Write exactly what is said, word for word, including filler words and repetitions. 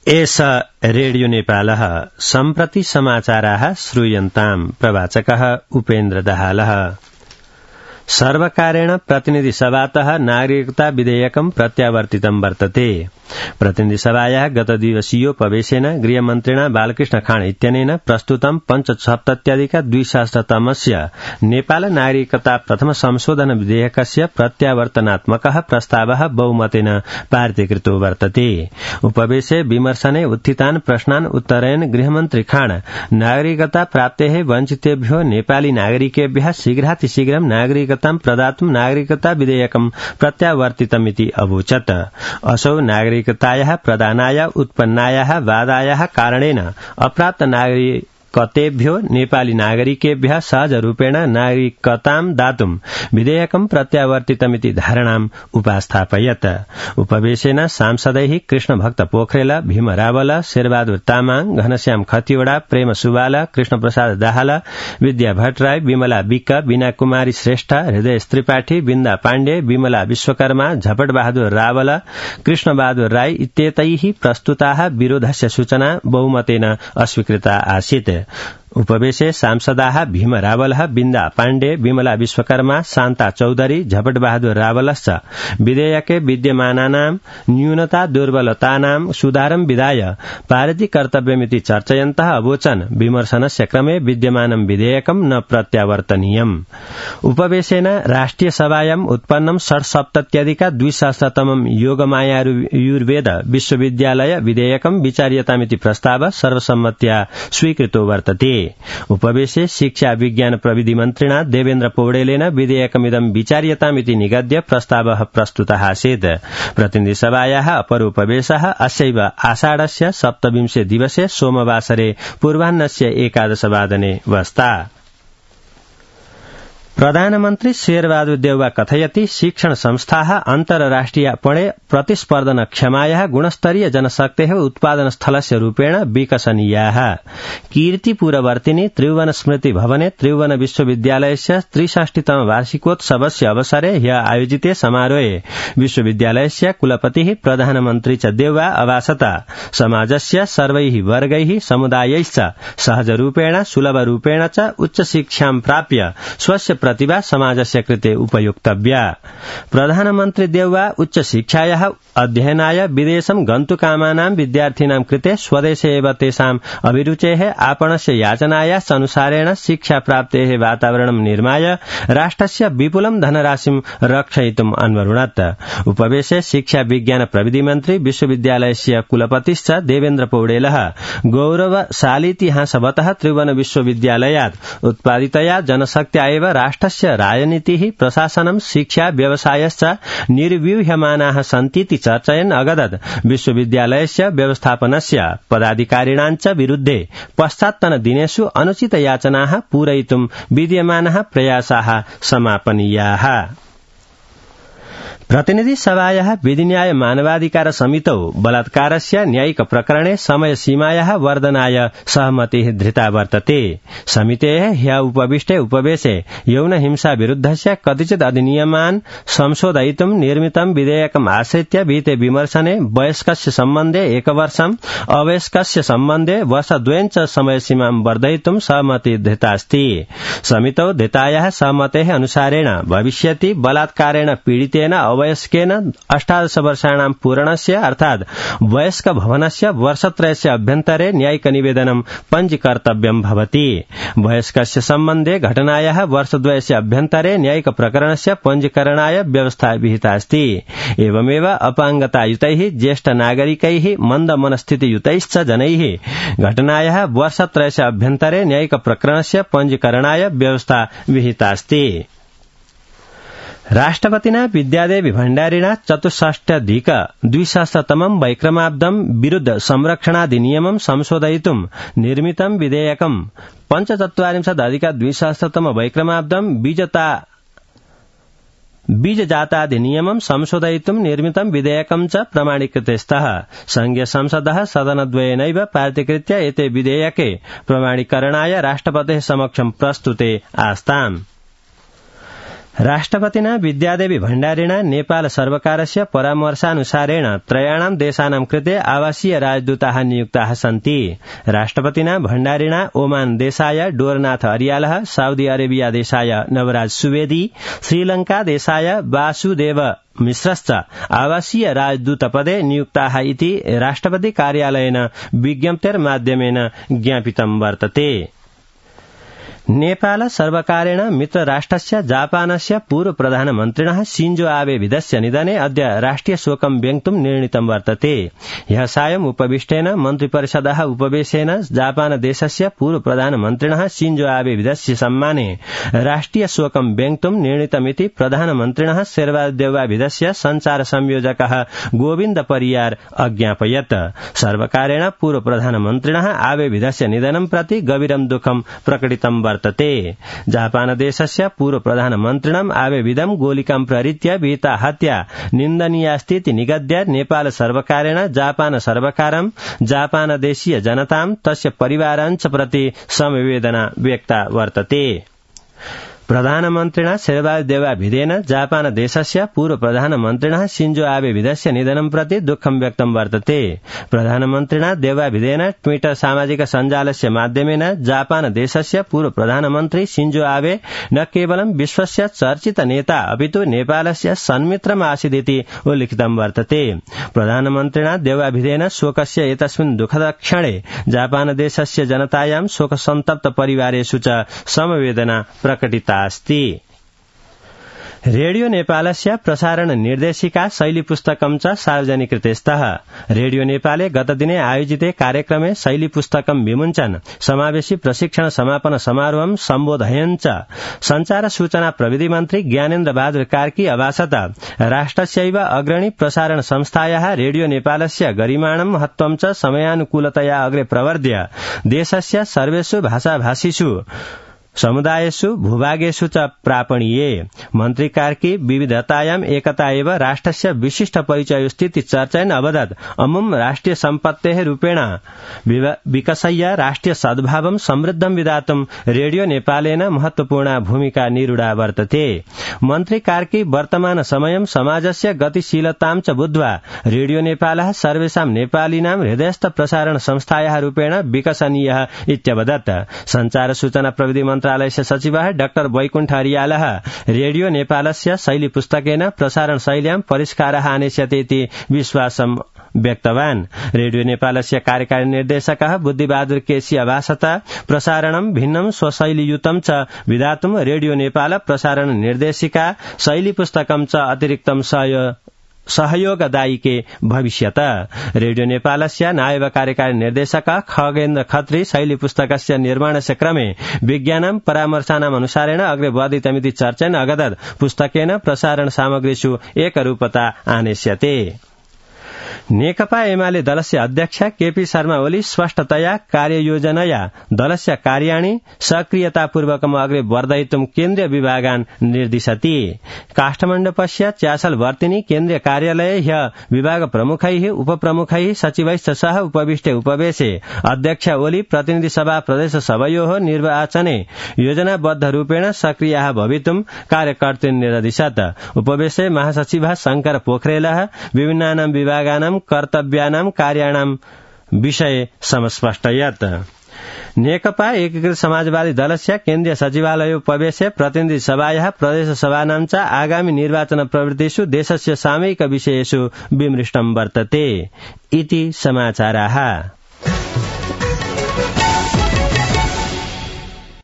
एष रेडियो नेपालः सम्प्रति समाचाराः श्रूयन्ताम् प्रवाचकः उपेन्द्र दाहालः। सर्वकारेण प्रतिनिधिसभातः नागरिकता विधेयकं प्रत्यावर्तितं वर्तते। प्रतिनिधिसभायाः गतदिवसीयोपवेशेन गृहमन्त्रिणा बालकृष्ण खाँड इत्यनेन प्रस्तुतं पञ्चसप्तत्यधिक द्विसहस्रतमस्य नेपाल नागरिकता प्रथम संशोधन विधेयकस्य प्रत्यावर्तनात्मकः प्रस्तावः बहुमतेन पारितीकृतो वर्तते। उपवेशे विमर्शने उत्थितान् प्रश्नान् उत्तरयन् गृहमन्त्री खाँड नागरिकता प्राप्तेः वञ्चितेभ्यो नेपाली नागरिकेभ्यः शीघ्रातिशीघ्रं नागरिकतां प्रदातुं नागरिकता विधेयकं प्रत्यावर्तितमिति अवोचत्। असौ नागरिकतायाः प्रदानाय उत्पन्नायाः बाधायाः कारणेन अप्राप्त नागरिकतेभ्यो नेपाली नागरिकेभ्यः सहजरूपेण नागरिकतां दातुं विधेयकं प्रत्यावर्तितमिति धारणाम् उपास्थापयत्। उपवेशेन सांसदैः कृष्णभक्त पोखरेल, भीम रावल, शेरबहादुर तामाङ, घनश्याम खतिवड़ा, प्रेम सुवाल, कृष्णप्रसाद दाहाल, विद्या भट्टराई, विमला विक्क, बीना कुमारी श्रेष्ठ, हृदय त्रिपाठी, बिन्दा पाण्डे, विमला विश्वकर्मा, झपट बहादुर रावल, कृष्ण बहादुर राई इत्येतैः प्रस्तुताः विरोधस्य सूचना बहुमतेन अस्वीकृता आसीत्। उपवेशे सांसदाः भीम रावलः, बिन्दा पाण्डे, विमला विश्वकर्मा, शान्ता चौधरी, झपट बहादुर रावलश्च विधेयके विद्यमानानां न्यूनता दुर्बलतानां सुधारं विधाय पारिति कर्तव्यमिति चर्चयन्तः अवोचन् विमर्शनस्य क्रमे विद्यमानं विधेयकं न प्रत्यावर्तनीयम्। उपवेशेन राष्ट्रिय सभायाम् उत्पन्नं षट्सप्तत्यधिक द्विसहस्रतमं योगमायायुर्वेद विश्वविद्यालय विधेयकं विचार्यतामिति प्रस्ताव सर्वसम्मत्या स्वीकृतो वर्तते। उपवेशे शिक्षा विज्ञान प्रविधि मन्त्रिणा देवेन्द्र पौडेलेन विधेयकमिदं विचार्यतामिति निगद्य प्रस्तावः प्रस्तुतः आसीत्। प्रतिनिधिसभायाः अपरोपवेशः अस्यैव आषाढस्य सप्तविंशे दिवसे सोमवासरे पूर्वाह्नस्य एकादशवादने वस्ता। प्रधानमन्त्री शेरबहादुर देउवा कथयति शिक्षण संस्थाः अन्तर्राष्ट्रियपणे प्रतिस्पर्धनक्षमायाः गुणस्तरीय जनशक्तेः उत्पादनस्थलस्य रूपेण विकसनीयाः। कीर्तिपुरवर्तिनि त्रिभुवन स्मृति भवने त्रिभुवन विश्वविद्यालयस्य त्रिषष्टितम वार्षिकोत्सवस्य अवसरे ह्य आयोजिते समारोहे विश्वविद्यालयस्य कुलपतिः प्रधानमन्त्री च देउवा अभासत समाजस्य सर्वैः वर्गैः समुदायैश्च सहजरूपेण सुलभरूपेण च उच्चशिक्षां प्राप्य स्वस्य प्रतिभा समाजस्य कृते उपयोक्तव्या। प्रधानमन्त्री देउवा उच्चशिक्षायाः अध्ययनाय विदेशं गन्तुकामानां विद्यार्थिनां कृते स्वदेशे एव तेषाम् अभिरुचेः आपणस्य याचनायाश्च अनुसारेण शिक्षाप्राप्तेः वातावरणं निर्माय राष्ट्रस्य विपुलं धनराशिं रक्षयितुम् अन्वरुणत्। उपवेशे शिक्षा विज्ञान प्रविधि मन्त्री विश्वविद्यालयस्य कुलपतिश्च देवेन्द्र पौडेलः गौरवशालीतिहासवतः त्रिभुवन विश्वविद्यालयात् उत्पादितया जनशक्त्या एव राष्ट्रस्य राजनीतिः प्रशासनं शिक्षा व्यवसायश्च निर्व्यूह्यमानाः सन्तीति चर्चयन् अगदत् विश्वविद्यालयस्य व्यवस्थापनस्य पदाधिकारिणाञ्च विरुद्धे पश्चात्तन दिनेषु अनुचित याचनाः पूरयितुं विद्यमानाः प्रयासाः समापनीयाः। प्रतिनिधि सभायाः विधिन्याय मानवाधिकार समितौ बलात्कारस्य न्यायिक प्रकरणे समय सीमायाः वर्धनाय सहमतिः धृता वर्तते। समितेः ह्यः उपविष्टे उपवेशे यौन हिंसा विरुद्धस्य कतिचित् अधिनियमान् संशोधयितुं निर्मितं विधेयकम् आश्रित्य विहिते विमर्शने वयस्कस्य सम्बन्धे एकवर्षम् अवयस्कस्य सम्बन्धे वर्षद्वयं च समयसीमां वर्धयितुं सहमतिः धृतास्ति। समितौ धृतायाः सहमतेः अनुसारेण भविष्यति बलात्कारेण पीडितेन वयस्केन अष्टादश वर्षाणां पूरणस्य अर्थात् वयस्क भवनस्य वर्षत्रयस्य अभ्यन्तरे न्यायिक निवेदनं पञ्जीकर्तव्यं भवति। वयस्कस्य सम्बन्धे घटनायाः वर्षद्वयस्य अभ्यन्तरे न्यायिक प्रकरणस्य पञ्जीकरणाय व्यवस्था विहिता अस्ति। एवमेव अपाङ्गतायुतैः ज्येष्ठ नागरिकैः मन्दमनस्थितियुतैश्च जनैः घटनायाः वर्षत्रयस्य अभ्यन्तरे न्यायिक प्रकरणस्य पञ्जीकरणाय व्यवस्था विहिता अस्ति। राष्ट्रपतिना विद्यादेवी भण्डारिणा चतुष्षष्ट्यधिक द्विसहस्रतमं वैक्रमाब्दं विरुद्ध संरक्षणाधिनियमं संशोधयितुं निर्मितं विधेयकं पञ्चचत्वारिंशदधिक द्विसहस्रतम वैक्रमाब्दं बीजता बीजजाताधिनियमं संशोधयितुं निर्मितं विधेयकं च प्रमाणीकृते स्तः। संघीय संसदः सदनद्वयेनैव पारितीकृत्य एते विधेयके प्रमाणीकरणाय राष्ट्रपतेः समक्षं प्रस्तुते आस्ताम्। राष्ट्रपतिना विद्यादेवी भण्डारिणा नेपाल सर्वकारस्य परामर्शानुसारेण त्रयाणां देशानां कृते आवासीय राजदूताः नियुक्ताः सन्ति। राष्ट्रपतिना भण्डारिणा ओमान देशाय डोरनाथ अरियालः, साउदी अरेबिया देशाय नवराज सुवेदी, श्रीलंका देशाय वासुदेव मिश्रश्च आवासीय राजदूतपदे नियुक्ताः इति राष्ट्रपति कार्यालयेन विज्ञप्तेर्माध्यमेन ज्ञापितं वर्तते। नेपाल सर्वकारेण मित्रराष्ट्रस्य जापानस्य पूर्व प्रधानमन्त्रिणः शिंजो आबे विदस्य निधने अद्य राष्ट्रिय शोकं व्यक्तुं निर्णीतं वर्तते। ह्यः सायं उपविष्टेन मन्त्रिपरिषदः उपवेशेन जापान देशस्य पूर्व प्रधानमन्त्रिणः शिंजो आबे विदस्य सम्माने राष्ट्रिय शोकं व्यक्तुं निर्णीतमिति प्रधानमन्त्रिणः शेरबहादुर देउवाविदस्य संचार संयोजकः गोविन्द परियार अज्ञापयत्। सर्वकारेण पूर्व प्रधानमन्त्रिणः आबे विदस्य निधनं प्रति गभीरं दुःखं प्रकटितं वर्तते। जापान देशस्य पूर्व प्रधानमन्त्रिणम् आबेविदं गोलिकां प्रहृत्य विहिता हत्या निन्दनीयास्तीति निगद्य नेपाल सर्वकारेण जापान सर्वकारं, जापान देशीय जनतां तस्य परिवारांच प्रति समवेदना व्यक्ता वर्तते। प्रधानमन्त्रिणा शेरबहादुर देउवाविदेन जापान देशस्य पूर्व प्रधानमन्त्रिणः शिंजो आबे विदस्य निधनं प्रति दुःखं व्यक्तं वर्तते। प्रधानमन्त्रिणा देउवाविदेन ट्विटर सामाजिक सञ्जालस्य माध्यमेन जापान देशस्य पूर्व प्रधानमन्त्री शिंजो आबे न केवलं विश्वस्य चर्चित नेता अपितु नेपालस्य सन्मित्रम् आसीदिति उल्लिखितं वर्तते। प्रधानमन्त्रिणा देउवाविदेन शोकस्य एतस्मिन् दुःखद क्षणे जापान देशस्य जनतायां शोकसन्तप्त परिवारेषु च समवेदना प्रकटिता अस्ति। रेडियो नेपालस्य प्रसारण निर्देशिका शैली पुस्तकं च सार्वजनिकृते स्तः। रेडियो नेपाले गतदिने आयोजिते कार्यक्रमे शैली पुस्तकं विमुञ्चन समावेशी प्रशिक्षण समापन समारोहं सम्बोधयन् च संचार सूचना प्रविधि मन्त्री ज्ञानेन्द्र बहादुर कार्की अभाषत राष्ट्रस्यैव अग्रणी प्रसारण संस्थायाः रेडियो नेपालस्य गरिमाणं महत्त्वं च समयानुकूलतया अग्रे प्रवर्ध्य देशस्य सर्वेषु भाषाभाषिषु समुदायेषु भूभागेषु च प्रापणीये। मन्त्री कार्की विविधतायाम् एकता एव राष्ट्रस्य विशिष्ट परिचयोस्तीति चर्चयन् अवदत् अमुम् राष्ट्रिय सम्पत्तेः रूपेण विकसय्य राष्ट्रिय सद्भावं समृद्धं विधातुं रेडियो नेपालेन महत्वपूर्णा भूमिका निरूढा वर्तते। मन्त्री कार्की वर्तमान समयं समाजस्य गतिशीलतां च बुद्ध्वा रेडियो नेपालः सर्वेषां नेपालीनां हृदयस्थ प्रसारण संस्थायाः रूपेण विकसनीयः इत्यवदत्। संचार सूचना प्रविधि मन्त्रालयस्य सचिवः डाक्टर वैकुण्ठ अरियालः रेडियो नेपालस्य शैली पुस्तकेन प्रसारण शैल्यां परिष्कारः आनेष्यते इति विश्वासं व्यक्तवान्। रेडियो नेपालस्य कार्यकारी निर्देशकः बुद्धिबहादुर केसी अभाषत प्रसारणं भिन्नं स्वशैलीयुतं च विधातुं रेडियो नेपाल प्रसारण निर्देशिका शैली पुस्तकं च अतिरिक्तं सहयोगदायिके भविष्यत। रेडियो नेपालस्य नायब कार्यकारी निर्देशक खगेन्द्र खत्री शैली पुस्तकस्य निर्माणस्य क्रमे विज्ञानं परामर्शानाम् अनुसारेण अग्रे वर्धितमिति चर्चयन् अगदत् पुस्तकेन प्रसारण सामग्रीषु एकरूपता आनेष्यते। नेकपा एमाले दलस्य अध्यक्ष केपी शर्मा ओली स्पष्टतया कार्ययोजनया दलस्य कार्याणि सक्रियतापूर्वकम् अग्रे वर्धयितुं केन्द्रीय विभागान् निर्दिशति। काठमाण्डूपस्य च्यासलवर्तिनी केन्द्रीय कार्यालये ह्य विभाग प्रमुखैः उपप्रमुखैः सचिवैश्च सह उपविष्टे उपवेशे अध्यक्ष ओली प्रतिनिधि सभा प्रदेश सभयोः निर्वाचने योजनाबद्ध रूपेण सक्रियाः भवितुं कार्यकर्तॄन् निर्दिशत्। उपवेशे महासचिवः शंकर पोखरेलः विभिन्नानां विभागानां कर्तव्यानां कार्याणां विषये समस्पष्टयत्। नेकपा एकीकृत समाजवादी दलस्य केन्द्रीय सचिवालयोपवेशे प्रतिनिधि सभायाः प्रदेश सभानां च आगामि निर्वाचन प्रवृत्तिषु देशस्य सामयिक विषयेषु विमृष्टं वर्तते इति समाचाराः।